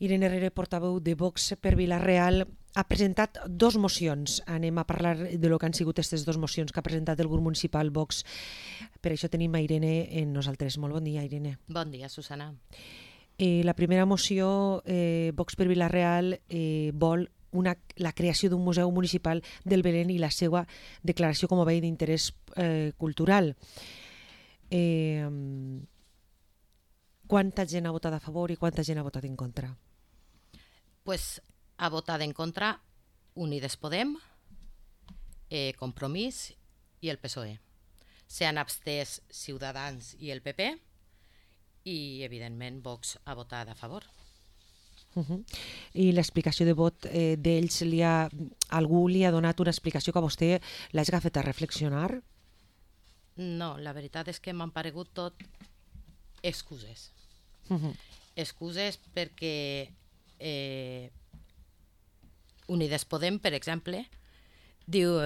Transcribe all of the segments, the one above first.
Irene Herrera, portaveu de Vox per Vila-real, ha presentat dos mocions. Anem a parlar de lo que han sigut aquestes dues mocions que ha presentat el grup municipal Vox. Per això tenim a Irene en nosaltres. Molt bon dia, Irene. Bon dia, Susana. La primera moció, Vox per Vila-real, vol la creació d'un museu municipal del Belén i la seva declaració com a bé d'interès cultural. Quanta gent ha votat a favor i quanta gent ha votat en contra? Pues ha votat en contra Unides Podem, Compromís i el PSOE. S'han abstès Ciutadans i el PP i, evidentment, Vox ha votat a favor. I l'explicació de vot d'ells, algú li ha donat una explicació que a vostè l'hagi fet a reflexionar? No, la veritat és que m'han paregut tot excuses. Excuses perquè Unides Podem, per exemple, diu,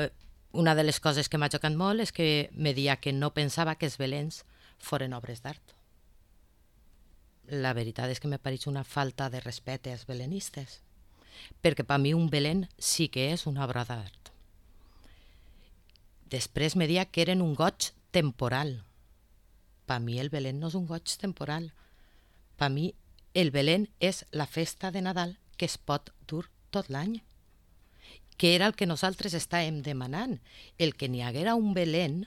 una de les coses que m'ha xocat molt és que me dia que no pensava que els Belens foren obres d'art. La veritat és que me pareix una falta de respecte als belenistes, perquè per mi un Belén sí que és una obra d'art. Després me dia que eren un goig temporal. Per mi el Belén no és un goig temporal. Per mi el Belén és la festa de Nadal que es pot dur tot l'any, que era el que nosaltres estàvem demanant, el que n'hi haguera un Belén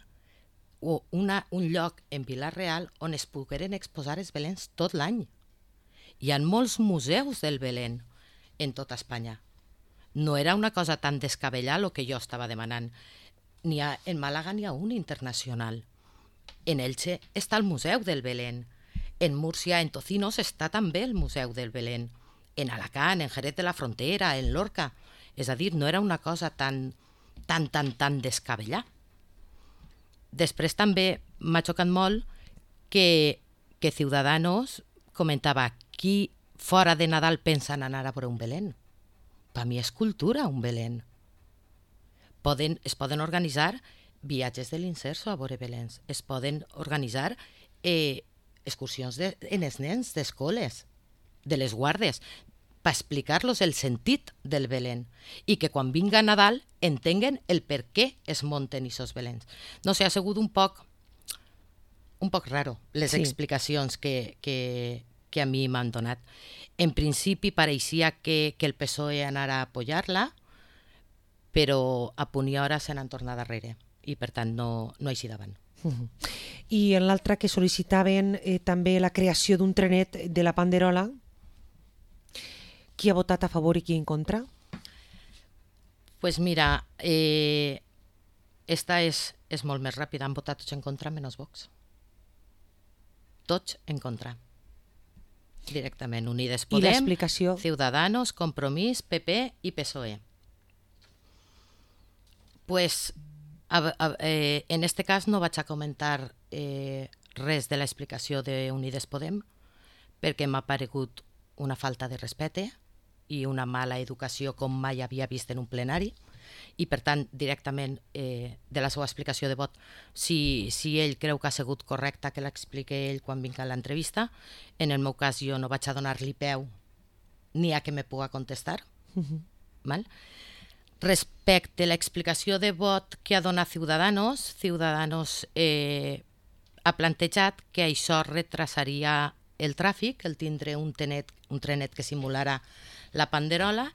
o un lloc en Vila-real on es pogueren exposar els Beléns tot l'any. Hi ha molts museus del Belén en tota Espanya. No era una cosa tan descabellada el que jo estava demanant. En Màlaga n'hi ha un internacional. En Elche està el Museu del Belén. En Múrcia, en Tocinos, està també el Museu del Belén. En Alacant, en Jerez de la Frontera, en Lorca. És a dir, no era una cosa tan descabellada. Després també m'ha xocat molt que Ciudadanos comentava qui fora de Nadal pensa en anar a veure un Belén. Per mi és cultura un Belén. Es poden organitzar viatges de l'Inserso a veure Beléns. Es poden organitzar excursions en els nens d'escoles, de les guardes, per explicar-los el sentit del Belén i que quan vinga Nadal entenguen el per què es munten aquests Beléns. No sé, ha sigut un poc raro les explicacions que a mi m'han donat. En principi pareixia que el PSOE anara a apoyar-la, però a punt i hora se n'han tornat darrere i per tant no així davant. I en l'altra que sol·licitaven també la creació d'un trenet de la Panderola, qui ha votat a favor i qui en contra? Pues mira, esta és molt més ràpida, han votat tots en contra menys Vox. Tots en contra. Directament, Unides Podem, Ciudadanos, Compromís, PP i PSOE. Pues en este cas no vaig a comentar res de l'explicació de Unides Podem perquè m'ha paregut una falta de respecte i una mala educació com mai havia vist en un plenari i per tant directament de la seva explicació de vot si ell creu que ha sigut correcta que l'explique ell quan vinga a l'entrevista. En el meu cas jo no vaig a donar-li peu ni a que me puga contestar. Val? Respecte a l'explicació de vot que ha donat Ciudadanos ha plantejat que això retrasaria el tràfic, el tindre un trenet que simulara la Panderola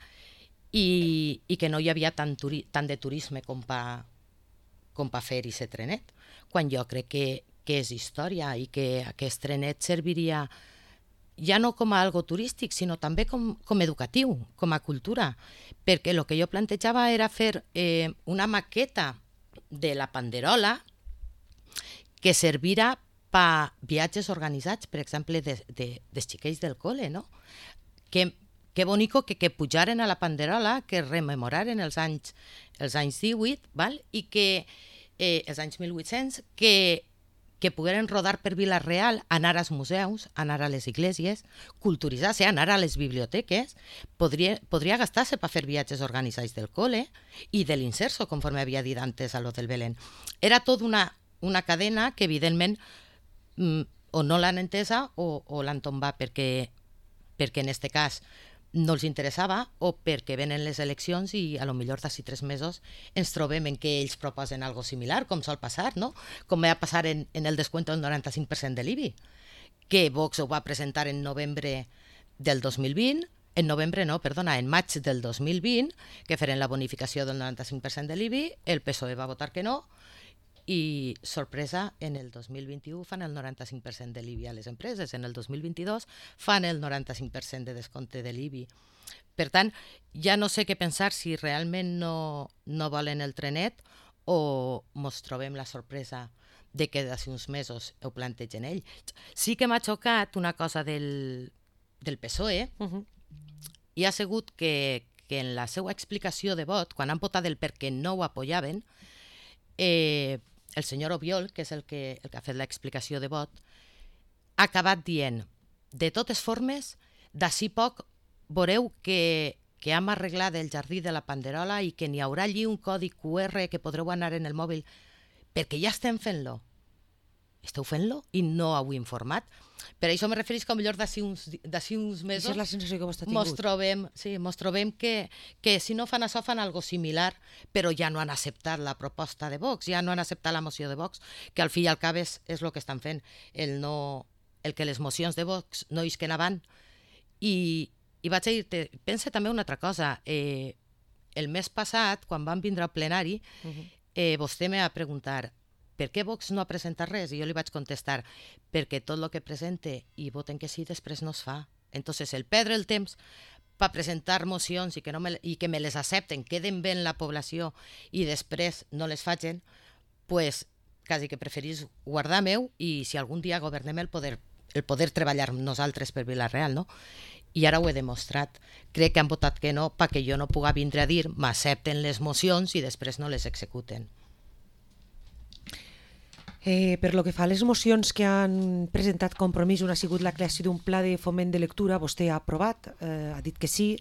i que no hi havia tant de turisme com per fer aquest trenet, quan jo crec que és història i que aquest trenet serviria ja no com a algo turístic, sinó també com educatiu, com a cultura, perquè el que jo plantejava era fer una maqueta de la Panderola que servira per viatges organitzats, per exemple, dels xiquets del col·le, no? Que bonico que pujaren a la Panderola, que rememoraren els anys 18, val? I que els anys 1800, que pogueren rodar per Vila-real, anar als museus, anar a les esglésies, culturitzar-se, anar a les biblioteques, podria gastar-se per fer viatges organitzats del col·le i de l'Inserso, conforme havia dit antes a lo del Belén. Era tot una cadena que, evidentment, o no l'han entesa o l'han tombat, perquè perquè en aquest cas no els interessava o perquè venen les eleccions i a lo millor d'ací 3 mesos ens trobem en què ells proposen algo similar, com sol passar, no? Com va passar en el descuento del 95% de l'IBI, que Vox ho va presentar en novembre del 2020, en maig del 2020, que feren la bonificació del 95% de l'IBI, el PSOE va votar que no, i, sorpresa, en el 2021 fan el 95% de l'IBI a les empreses, en el 2022 fan el 95% de descompte de l'IBI. Per tant, ja no sé què pensar si realment no volen el trenet o mos trobem la sorpresa de que d'ací uns mesos ho plantegen ells. Sí que m'ha xocat una cosa del PSOE, i ha sigut que en la seva explicació de vot, quan han votat el perquè no ho apoyaven, el senyor Obiol, que és el que ha fet l'explicació de vot, ha acabat dient: de totes formes, d'ací poc veureu que hem arreglat el jardí de la Panderola i que n'hi haurà allí un codi QR que podreu anar en el mòbil, perquè ja estem fent-lo. Esteu fent-lo i no heu informat? Per això me referís que potser d'ací uns mesos Això és la sensació que vostè ha tingut. mos trobem que si no fan això fan algo similar, però ja no han acceptat la proposta de Vox, ja no han acceptat la moció de Vox, que al fi i al cap és el que estan fent, el que les mocions de Vox no isquen avant. I vaig a dir-te, pensa també una altra cosa. El mes passat, quan vam vindre al plenari, vostè me va preguntar per què Vox no ha presentat res? I jo li vaig contestar, perquè tot el que presente i voten que sí, després no es fa. Entonces, el perdre el temps per presentar mocions i que me les accepten, queden bé en la població i després no les facin, pues quasi que preferís guardar meu i si algun dia governem el poder treballar nosaltres per Vila-real, no? I ara ho he demostrat. Crec que han votat que no perquè jo no puga vindre a dir m'accepten les mocions i després no les executen. Per lo que fa a les mocions que han presentat Compromís, una ha sigut la creació d'un pla de foment de lectura. Vostè ha aprovat, ha dit que sí,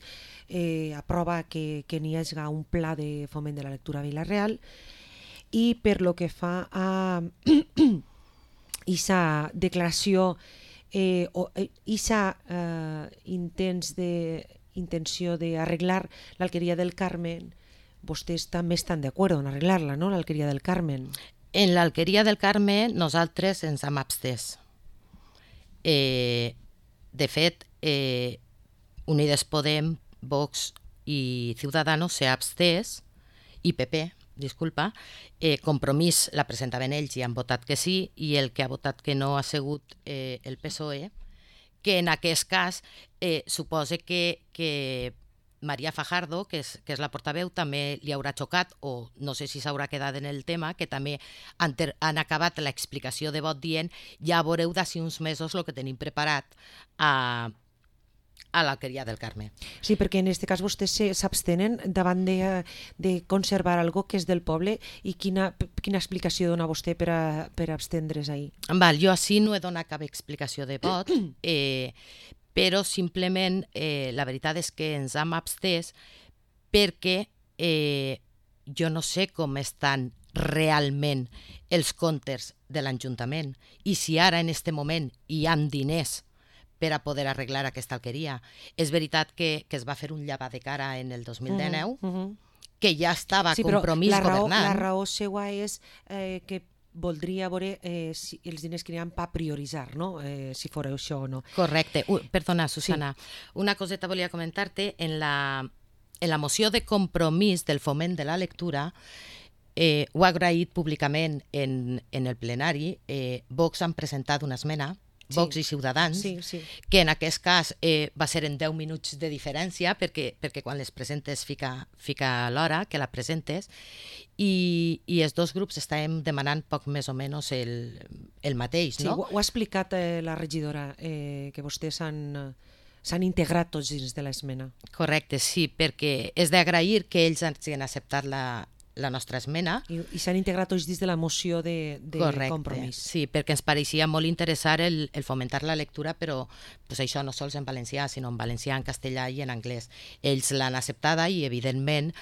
aprova que n'hi hagi un pla de foment de la lectura a Vila-real. I per lo que fa a aquesta declaració o aquesta intenció d'arreglar l'Alqueria del Carmen, vostès també estan d'acord en arreglar-la, no?, l'Alqueria del Carmen. En l'Alqueria del Carme nosaltres ens hem abstès. De fet, Unides Podem, Vox i Ciudadanos s'ha abstès, i PP, disculpa, Compromís la presentaven ells i han votat que sí, i el que ha votat que no ha sigut el PSOE, que en aquest cas suposa que Maria Fajardo, que és la portaveu, també li haurà xocat, o no sé si s'haurà quedat en el tema, que també han acabat l'explicació de vot dient ja veureu d'ací uns mesos el que tenim preparat a l'Alqueria del Carme. Sí, perquè en aquest cas vostès s'abstenen davant de conservar algo que és del poble, i quina explicació dona vostè per abstendre's ahir? Val, jo així no he donat cap explicació de vot, però simplement la veritat és que ens hem abstès perquè jo no sé com estan realment els comptes de l'Ajuntament i si ara en aquest moment hi ha diners per a poder arreglar aquesta alqueria. És veritat que es va fer un llevat de cara en el 2019, que ja estava Compromís governant. La raó seva és que voldria veure si els diners que n'hi ha per prioritzar, no? Si fora això o no. Correcte. Perdona, Susana. Sí. Una coseta volia comentar-te. En la moció de Compromís del foment de la lectura ho ha agraït públicament en el plenari. Vox han presentat una esmena, Vox i Ciutadans, que en aquest cas va ser en 10 minuts de diferència, perquè quan les presentes fica l'hora que la presentes, i els dos grups estàvem demanant poc més o menys el mateix, no? Sí, ho ha explicat la regidora, que vostès s'han integrat tots dins de l'esmena. Correcte, sí, perquè és d'agrair que ells hagin acceptat la nostra esmena. I s'han integrat tots dins de la moció de Compromís. Sí, perquè ens pareixia molt interessant el fomentar la lectura, però pues, això no sols en valencià, sinó en valencià, en castellà i en anglès. Ells l'han acceptada i, evidentment,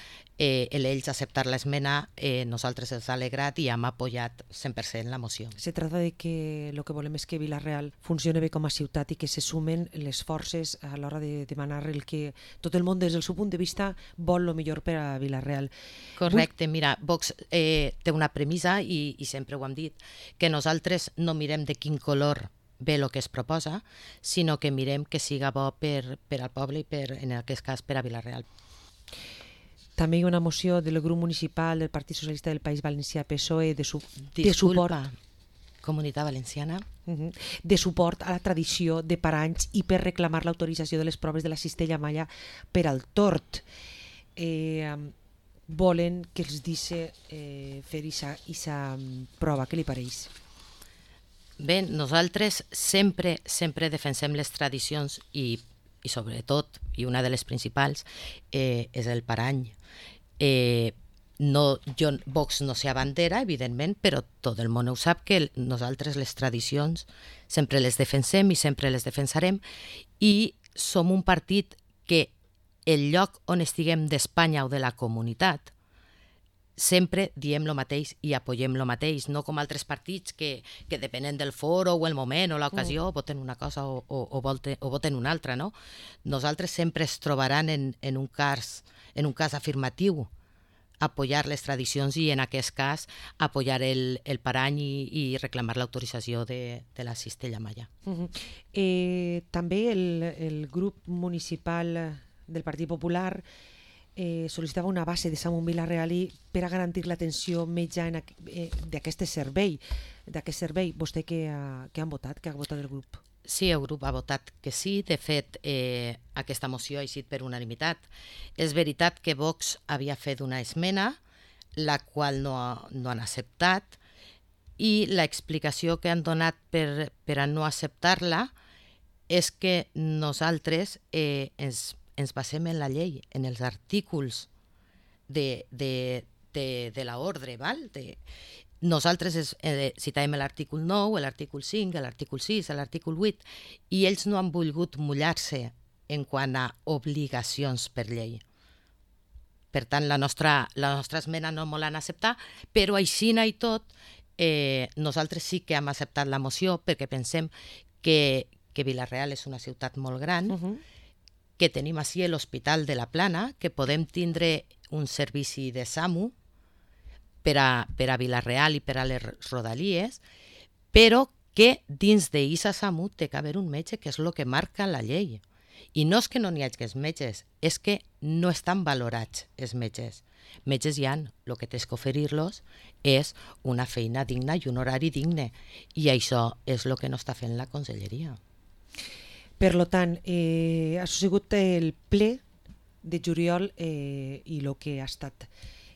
ells acceptar l'esmena, nosaltres els ha alegrat i hem apoyat 100% la moció. Se trata de que el que volem és que Vila-real funcione bé com a ciutat i que se sumen les forces a l'hora de demanar el que tot el món des del seu punt de vista vol el millor per a Vila-real. Correcte, mira, Vox té una premissa i sempre ho hem dit, que nosaltres no mirem de quin color ve el que es proposa, sinó que mirem que siga bo per al poble i en aquest cas per a Vila-real. També hi ha una moció del grup municipal del Partit Socialista del País Valencià PSOE de suport. Comunitat Valenciana. De suport a la tradició de paranys i per reclamar l'autorització de les proves de la cistella malla per al tort. Volen que els deixi fer aquesta prova. Què li pareix? Bé, nosaltres sempre defensem les tradicions i sobretot, i una de les principals, és el parany. Vox no s'abandera, evidentment, però tot el món ho sap que nosaltres les tradicions sempre les defensem i sempre les defensarem i som un partit que el lloc on estiguem d'Espanya o de la comunitat sempre diem el mateix i apoyem el mateix, no com altres partits que depenent del foro o el moment o l'ocasió voten una cosa o voten una altra, no? Nosaltres sempre es trobaran en un cas afirmatiu apoyar les tradicions i en aquest cas apoyar el parany i reclamar l'autorització de la cistella malla. També el grup municipal del Partit Popular sol·licitava una base de SAMU en Vila-real per a garantir l'atenció metge d'aquest servei. Vostè què han votat? Què ha votat el grup? Sí, el grup ha votat que sí. De fet, aquesta moció ha eixit per unanimitat. És veritat que Vox havia fet una esmena, la qual no han acceptat, i l'explicació que han donat per a no acceptar-la és que nosaltres ens basem en la llei, en els artículs de l'ordre, val? Nosaltres citàvem l'artícul 9, l'artícul 5, l'artícul 6, l'artícul 8, i ells no han volgut mullar-se en quant a obligacions per llei. Per tant, la nostra esmena no me l'han acceptat, però aixina i tot, nosaltres sí que hem acceptat la moció perquè pensem que Vila-real és una ciutat molt gran, que tenim així l'Hospital de la Plana, que podem tindre un servici de SAMU per a Vila-real i per a les rodalies, però que dins d'ISA SAMU té que haver un metge, que és el que marca la llei. I no és que no n'hi hagi metges, és que no estan valorats els metges. Metges hi ha, el que tens que oferir-los és una feina digna i un horari digne, i això és el que no està fent la conselleria. Per tant, ha sigut el ple de juliol i el que ha estat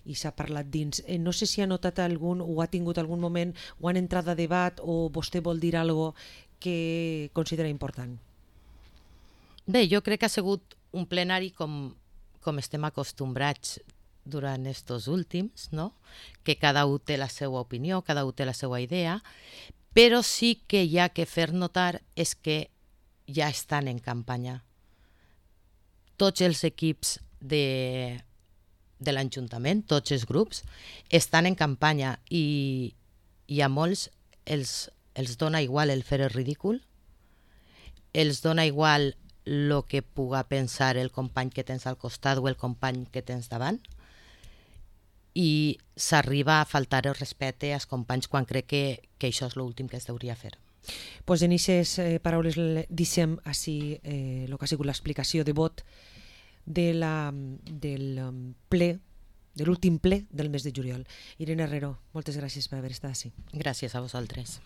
i s'ha parlat dins. No sé si ha notat algun o ha tingut algun moment o han entrat a debat o vostè vol dir alguna cosa que considera important. Bé, jo crec que ha sigut un plenari com estem acostumbrats durant estos últims, no? Que cada un té la seva opinió, cada un té la seva idea, però sí que hi ha que fer notar és que ja estan en campanya. Tots els equips de l'Ajuntament, tots els grups, estan en campanya i a molts els dona igual el fer el ridícul, els dona igual el que puga pensar el company que tens al costat o el company que tens davant, i s'arriba a faltar el respecte als companys quan crec que això és l'últim que es hauria fer. Pues en aquestes paraules deixem així el que ha sigut l'explicació de vot del ple, de l'últim ple del mes de juliol. Irene Herrero, moltes gràcies per haver estat així. Gràcies a vosaltres.